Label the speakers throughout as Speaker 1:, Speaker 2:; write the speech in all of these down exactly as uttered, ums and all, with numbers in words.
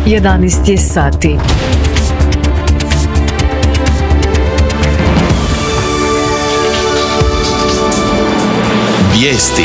Speaker 1: jedanaest je sati.
Speaker 2: Vijesti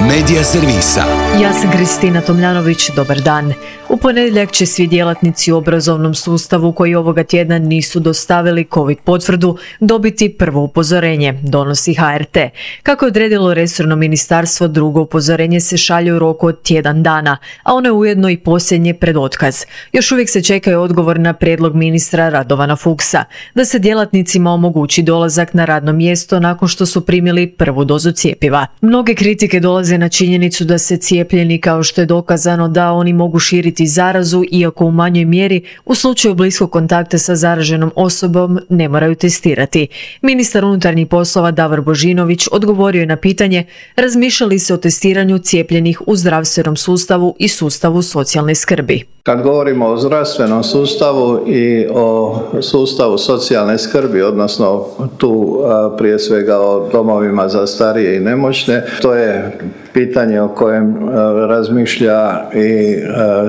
Speaker 2: Medija servisa.
Speaker 1: Ja sam Kristina Tomljanović, dobar dan. U ponedjeljak će svi djelatnici u obrazovnom sustavu koji ovoga tjedna nisu dostavili COVID potvrdu dobiti prvo upozorenje, donosi H R T. Kako je odredilo resorno ministarstvo, drugo upozorenje se šalje u roku od tjedan dana, a ono je ujedno i posljednje pred otkaz. Još uvijek se čekaju odgovor na prijedlog ministra Radovana Fuchsa, da se djelatnicima omogući dolazak na radno mjesto nakon što su primili prvu dozu cjepiva. Mnoge kritike dolaze na činjenicu da se cijepljeni, kao što je dokazano da oni mogu širiti zarazu, iako u manjoj mjeri, u slučaju bliskog kontakta sa zaraženom osobom ne moraju testirati. Ministar unutarnjih poslova Davor Božinović odgovorio je na pitanje razmišlja li se o testiranju cijepljenih u zdravstvenom sustavu i sustavu socijalne skrbi.
Speaker 3: Kad govorimo o zdravstvenom sustavu i o sustavu socijalne skrbi, odnosno tu prije svega o domovima za starije i nemoćne, to je pitanje o kojem razmišlja i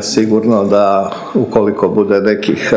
Speaker 3: sigurno da ukoliko bude nekih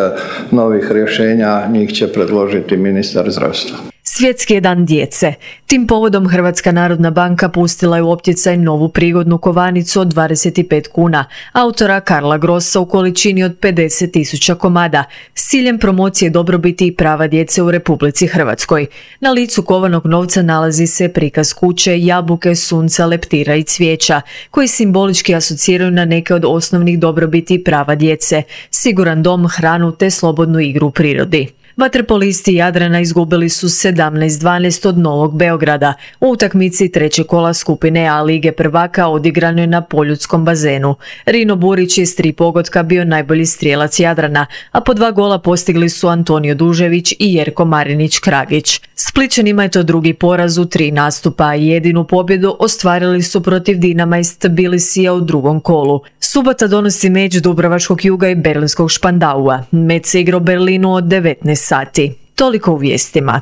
Speaker 3: novih rješenja, njih će predložiti ministar zdravstva.
Speaker 1: Svjetski je dan djece. Tim povodom Hrvatska narodna banka pustila je u opticaj novu prigodnu kovanicu od dvadeset pet kuna, autora Karla Grossa u količini od pedeset tisuća komada, s ciljem promocije dobrobiti i prava djece u Republici Hrvatskoj. Na licu kovanog novca nalazi se prikaz kuće, jabuke, sunca, leptira i cvijeća, koji simbolički asociraju na neke od osnovnih dobrobiti i prava djece, siguran dom, hranu te slobodnu igru u prirodi. Vaterpolisti Jadrana izgubili su sedamnaest dvanaest od Novog Beograda. U utakmici trećeg kola skupine A Lige prvaka odigrano je na Poljudskom bazenu. Rino Burić je s tri pogotka bio najbolji strijelac Jadrana, a po dva gola postigli su Antonio Dužević i Jerko Marinić-Kragić. Splićanima je to drugi poraz u tri nastupa, a jedinu pobjedu ostvarili su protiv Dinama iz Tbilisija u drugom kolu. Subota donosi meč Dubrovačkog Juga i Berlinskog Špandaua. Meč se igra u Berlinu od devetnaest sati. Toliko u vijestima.